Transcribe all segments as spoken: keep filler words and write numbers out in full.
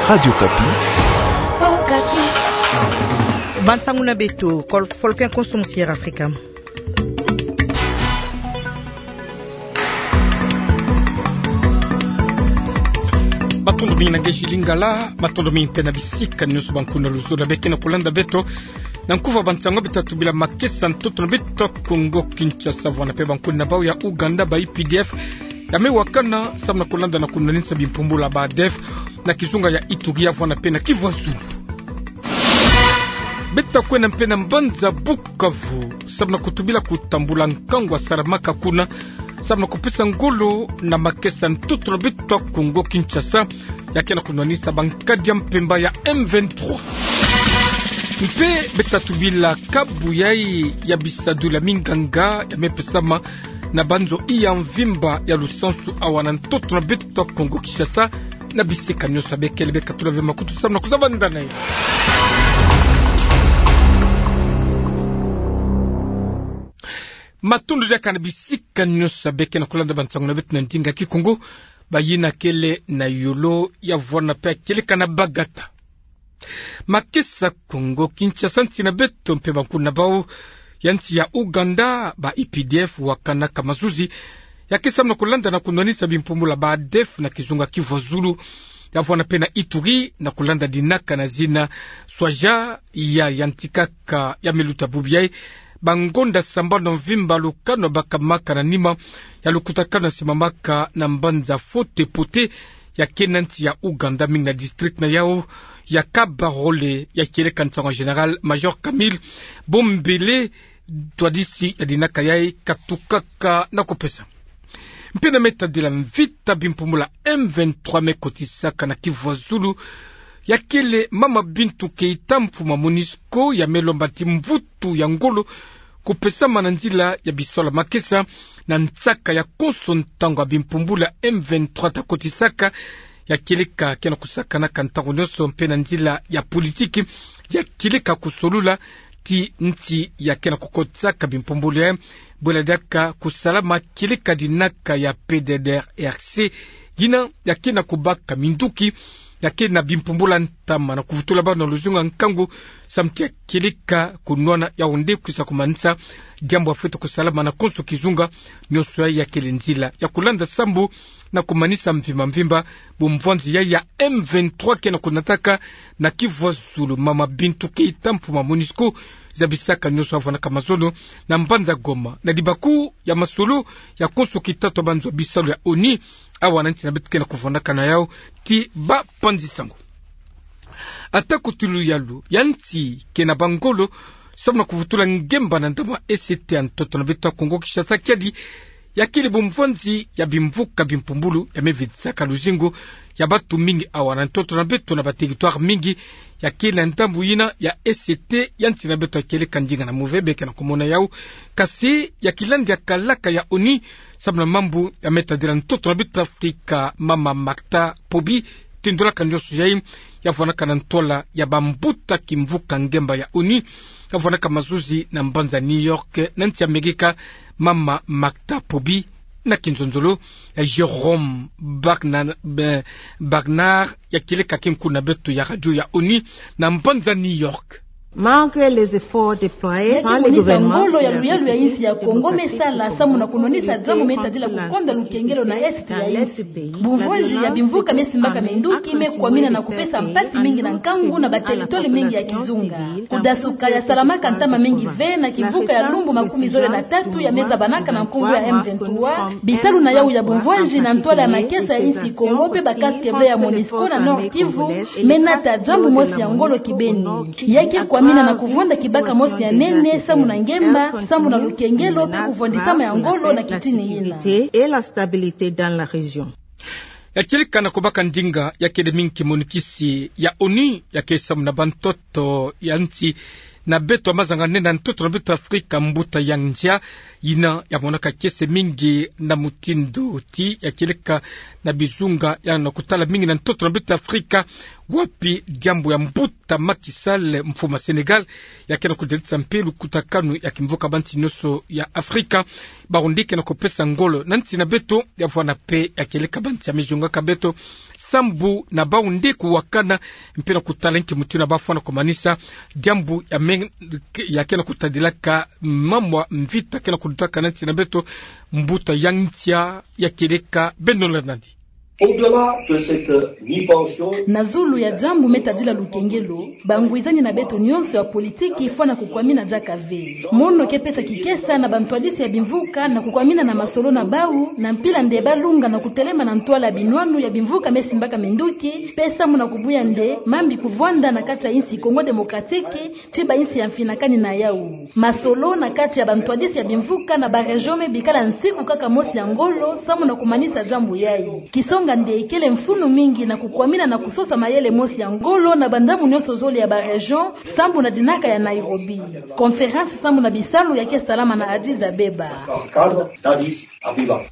Radio Okapi. Bansangu na beto, kol-, Folklore Konso Musiera Afrika. Matondo mingi na ngeji Lingala, matondo mingi mpe na bisika nyonso bankuna luzolo beke na kolanda beto. Na nkufa bansangu beto tubila makesa ntoto na beto Kongo Kinshasa, vwanda mpe bankuna bau ya Ouganda, ba U P D F, ya me wakana samu na kolanda na kunwanisa bimpumbulu ya ba ADF na kizunga ya Ituri ya vwanda mpe na Kivu ya Zulu. Beto kwenda mpe na mbanza Bukavu, samu na kutubila kutambula nkangu wasalamaka kuna, samu na kupesa ngolo na makesa ntoto na beto Kongo Kinshasa, ya ke na kunwanisa bankadi ya mpemba ya M vingt-trois. Mpe beto tubila kabu yai ya bisadulu ya minganga ya me pesama na banzo ya mvimba ya lusansu awa na ntoto na beto Kongo Kinshasa, na bisika nyonso bekele. Beka tula ve makutu samu na kuzabanda na yo. Matondo diaka na bisika nyonso beke na kolanda bansangu na beto na ndinga Kikongo, bayina kele na yolo ya vwanda mpe ya kieleka na bagata. Makesa Kongo Kinshasa, nsi na beto mpe bankuna bau ya nsi ya Ouganda, ba U P D F wakanaka mazuzi ya ke samu na kolanda na kunwanisa bimpumbulu ya ba ADF na kizunga Kivu ya Zulu, ya vwanda mpe na Ituri, na kolanda dinaka na zina Swaja ya yantikaka ya me luta bubu yai bangonda sambanu ya mvimba, lukanu bakamaka na nima ya lukutakanu ya simamaka na mbanza Fote Pote ya ke na nsi ya Ouganda, mingi na district na yau ya Kabarole, ya kieleka nsangu ya Général Major Camille Bombele, ntwadisi ya dinaka yai katukaka na kupesa. Mpe na me tadila mvita bimpumbulu ya M vingt-trois me kotisaka na Kivu ya Zulu, ya kele Mama Bintou Keita, mfumu ya MONUSCO, ya me lomba ti mvutu ya ngolo kupesama na nzila ya bisalu ya makesa na nsaka ya konso ntangu ya bimpumbulu ya M vingt-trois ta kotisaka, ya kieleka ke na kusakanaka ntangu nyonso mpe na nzila ya politiki, ya kieleka kusolula ti nsi ya ke na kukotisaka bimpumbulu yai, bwela diaka kusalama kieleka dinaka ya P D D R C, yina ya ke na kubaka minduki ya ke na bimpumbulu ya ntama na kuvutula bana luzunga nkangu, samu ti ya kieleka kunwana Yaoundé kwisa kumanisa diambu ya fweti kusalama na konso kizunga nyonso yai, ya kele nzila ya kulanda sambu na kumanisa mvimba mvimba bumvwanzi yai ya M vingt-trois ke na kunataka na Kivu ya Zulu. Mama Bintou Keita, mfumu ya MONUSCO, zabisaka nyonso ya vwandaka mazono na mbanza Goma, na libaku ya masolo ya konso kitatu ya banzo ya bisalu ya ONU, awa na nsi na beto ke na kuvwandaka na yau ti bapanzi sango. Ata kutulu yalu ya nsi ke na bangolo samu na kuvutula ngemba na ndambu ya E C T ya ntoto na beto ya Kongo Kinshasa, kiadi ya kele bumvwanzi ya bimvuka bimpumbulu ya me vitisaka luzingu ya bantu mingi awa na ntoto na beto na ba territoire mingi ya ke na ndambu yina ya E C T ya nsi na beto, ya kieleka ndinga na move beke na kumona yau. Kasi ya kilandi ya kalaka ya ONU samu na mambu ya me tadila ntoto na beto Afrika, Mama Martha Pobi, tindolaka nyonso yai, ya vwandaka na ntwala ya bambuta kimvuka ngemba ya ONU, ya vwandaka mazuzi na mbanza New York na nsi ya Amerika, Mama Martha Pobi, na kinzonzolo ya Jérôme Barna-, Be-, Barnard, ya kieleka kinkulu na beto ya radio ya ONU na mbanza New York. Malgré les efforts déployés par le gouvernement, ngolo ya luyalu ya insi ya Kongo me sala samu na kunwanisa diambu me tadila kukonda lukengelo na est ya insi. Bumvwanzi ya bimvuka me simbaka minduki me kwamina na kupesa mpasi mingi na nkangu na ba territoire mingi ya kizunga. Kudasuka ya salamaka ntama mingi ve na kimvuka ya lumbu makumi zole na tatu ya me zabanaka na nkumbu ya M vingt-trois, bisalu na yau ya bumvwanzi na ntwala ya makesa ya insi Kongo mpe ba casques bleus ya MONUSCO na Nord-Kivu, me nata diambu mosi ya ngolo kibeni. Ya ke kwamina na kuvwanda kibaka mosi ya nene samu na ngemba, samu na lukengelo mpe kuvwandisama ya ngolo na kitini yina. Et la stabilité dans la région. Ya kieleka na kubaka ndinga ya kele mingi kimonikisi ya ONU ya ke samu na bantoto ya nsi na beto ya mazanga nene na ntoto na beto Afrika, mbuta Yang Jia, yina ya monaka kiese mingi na mutindu ti ya kieleka na bizunga ya na kutala mingi na ntoto na beto Afrika, wapi diambu ya mbuta Macky Sall, mfumu ya Sénégal, ya ke na kudelisa mpe lukutakanu ya kimvuka bansi nyonso ya Afrika, bawu nde ke na kupesa ngolo na nsi na beto, ya vwanda mpe ya kieleka bansi ya me zungaka beto sambu na bau nde kuwakana, mpe na kutala nki mutindu na bafwana kumanisa diambu ya men-, ya ke na kutadilaka mambu ya mvita ke na kulutakana nti na beto, mbuta ya ntia ya kieleka beno landa nandi. Au-delà de cette mi-pension, na zulu ya diambu me tadila lukengelo, bangwizani na beto nyonso ya politiki fwana kukwamina diaka ve. Mono ke pesa kikesa na bantwadisi ya bimvuka na kukwamina na masolo na bau, na mpila nde balunga na kutelema na ntwala ya binwanu ya bimvuka me simbaka minduki, mpe sambu na kubuya nde mambi kuvwanda na kati ya insi Congo Démocratique, ti bainsi ya mfinakani na yau. Masolo na kati ya bantwadisi ya bimvuka na baregion me bikala nsiku kaka mosi ya ngolo, sambu na kumanisa diambu yai. Kisonga nde kele mfunu mingi na kukwamina na kusosa mayele mosi ya ngolo na bandambu nyonso zole ya baregion, sambu na dinaka ya Nairobi. Conférence sambu na bisalu ya ke salama na Addis Abeba. Dans le cadre d'Addis Abeba.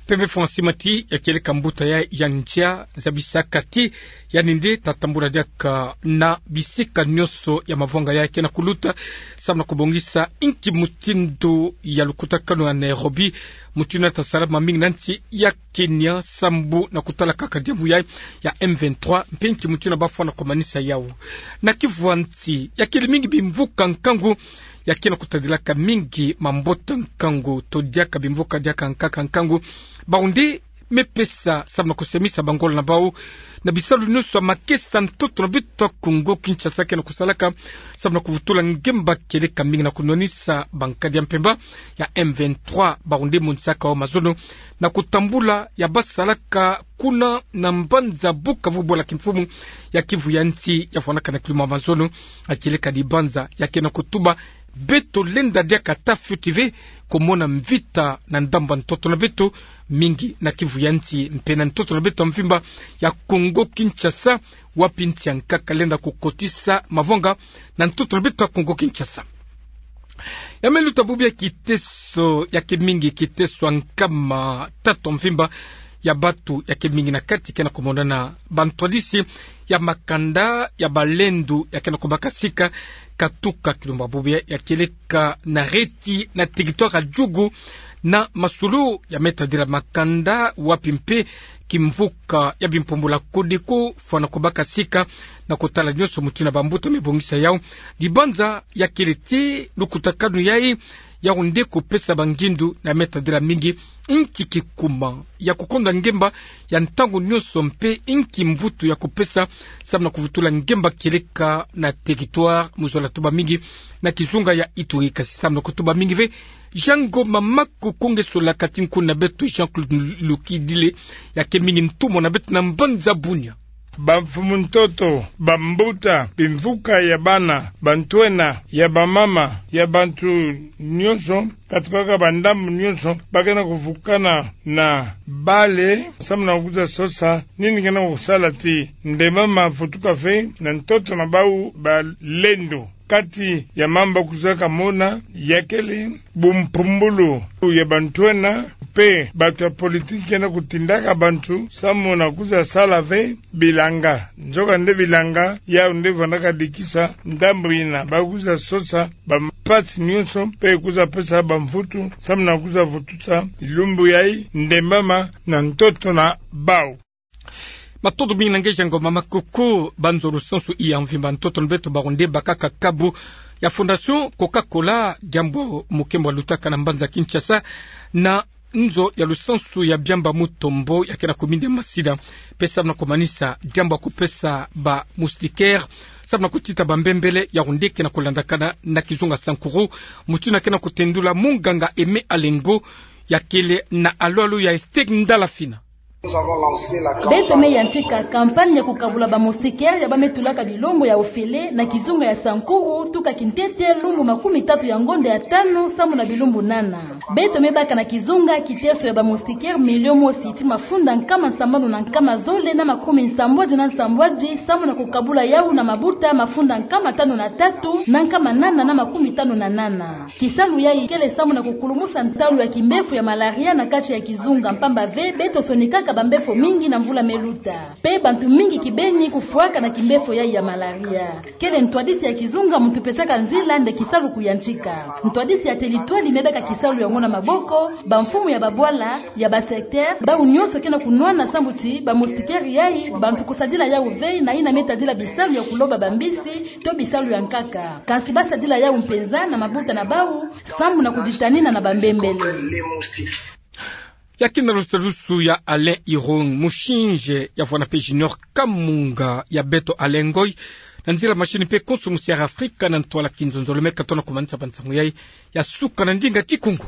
Pembe Francis Mati ya kieleka mbuta ya, ya ntia, zabisaka ti yandi nde ta tambula diaka na bisika nyonso ya mavwanga ya ke na kuluta, sambu na kubongisa inki mutindu ya lukutakanu ya Nairobi, mutindu na ta salama mingi na nti ya Kenya, sambu na kutala kaka diambu ya, ya M vingt-trois, mpe inki mutindu na bafwana kumanisa yau. Na Kivu ya nti, ya kele mingi bimvuka nkangu, ya ke na kutadilaka mingi mambota nkangu, to diaka bimvuka diaka nkaka nkangu, bau nde me pesa sambu na kusemisa bangolo na bau na bisalu nyonso ya makesa ntoto na beto ya Congo Kinshasa ke na kusalaka, sambu na kuvutula ngemba kieleka mingi na kunwanisa bankadi ya mpemba ya M vingt-trois, bau nde monisaka yau mazono na kutambula ya basalaka kuna na mbanza Bukavu, bwala kimfumu ya Kivu ya nti ya fwanaka na kiluma mazono, ya kieleka dibanza ya ke na kutuba beto lenda diaka ata fioti ve kumona mvita na ndambu ya ntoto na beto, mingi na Kivu ya nti mpe na ntoto na beto ya mvimba ya Congo Kinshasa, wapi nti ya nkaka lenda kukotisa mavwanga na ntoto na beto ya Congo Kinshasa. Ya me luta bubu ya kiteso ya ke mingi, kiteso ya nkama tatu ya mvimba ya batu ya ke mingi na kati ke na kumonana, bantwadisi ya makanda ya balendu ya ke na kubaka sika katuka kilumbu bubu ya, ya kieleka na reti na territoire ya Djugu, na masolo ya me tadila makanda wapi mpe kimvuka ya bimpumbulu ya Codeco fwana kubaka sika na kutala nyonso mutindu na bambuta me bongisa yau. Dibanza ya kele ti lukutakanu yai, yau nde kupesa bangindu na me tadila mingi inki kikuma ya kukonda ngemba ya ntangu nyonso mpe inki mvutu ya kupesa sambu na kuvutula ngemba kieleka na territoire, mu zola tuba mingi na kizunga ya Ituri, kasi sambu na kutuba mingi ve, Jean Ngoma Makuku nge sola kati nkuna beto Jean-Claude Lokidile ya ke mingi ntumwa na beto na mbanza Bunia. Bamfumu ntoto, bambuta, bimvuka ya bana, bantwenia, ya bamama, ya bantu nyonso, katukaka bandambu nyonso, ba ke na kuvukana na bale, sambu na kwiza sosa nini ke na kusala ti ndemama avutuka ve na ntoto na bau balendu. Kati ya mambu kwiza kamona, ya kele bumpumbulu ya bantwenia, mpe batu ya politiki ke na kutindaka bantu sambu na kwiza sala ve bilanga. Nzoka nde bilanga yau nde vandaka dikisa ndambu yina, ba kwiza sosa bampasi nyonso, mpe kwiza pesa bamvutu sambu na kwiza vutusa bilumbu yai ndemama na ntoto na bau. Matondo mingi na nge Jean Ngoma Makuku. Banzo lusansu ya mvimba ntoto na beto, bau nde bakaka kabu ya Fondation Coca-Cola, diambu mukembo lutaka na mbanza Kinshasa, na nzo ya lusansu ya Biamba Mutombo ya ke na kuminde masida, mpe sambu na kumanisa diambu ya kupesa ba moustiquaire, sambu na kutita bambembele, yau nde ke na kulandakana na kizunga Sankuru, mutindu na ke na kutendula munganga Aimé Alengo, ya kele na alwalu ya Esther Ndalafina. Beto me yantika campagne ya kukabula ba moustiquaire ya ba me tulaka bilongo ya ofele na kizunga ya Sankuru, tuka kintete lumbu makumi tatu ya ngonda ya tanu, sambu na bilumbu nana. Beto me baka na kizunga kiteso ya ba moustiquaire million mosi ti mafunda nkama sambanu na nkama zole na makumi nsambwadi na nsambwadi, sambu na kukabula yau na mabuta mafunda nkama tanu na tatu na nkama nana na makumi tanu na nana. Kisalu yai kele sambu na kukulumusa ntalu ya kimbefo ya malaria na kati ya kizunga, mpamba ve beto sonikaka bambefo mingi na mvula me luta. Mpe bantu mingi kibeni kufwaka na kimbefo yai ya malaria. Kele ntwadisi ya kizunga muntu pesaka nzila nde kisalu kuyantika. Ntwadisi ya teritwali me baka kisalu yango na maboko, bamfumu ya babwala, ya basecteur, bawu nyonso ke na kunwana sambu ti bamoustiquaire yayi, bantu kusadila yawu vei na yina me tadila bisalu ya kuloba bambisi, to bisalu ya nkaka. Kansi basadila yawu mpenza na mabuta na bawu, sambu na kuditanina na bambembele. Ya kina lusadusu ya Alain Irung, musinje ya vwana pe Junior Kamunga ya Beto Alain Ngoy, na nzila machine pe Konso Musiara Afrika na ntwala kinzonzolo. Meka tona kumanisa ba nsangu yayi, ya suka na ndinga Kikongo.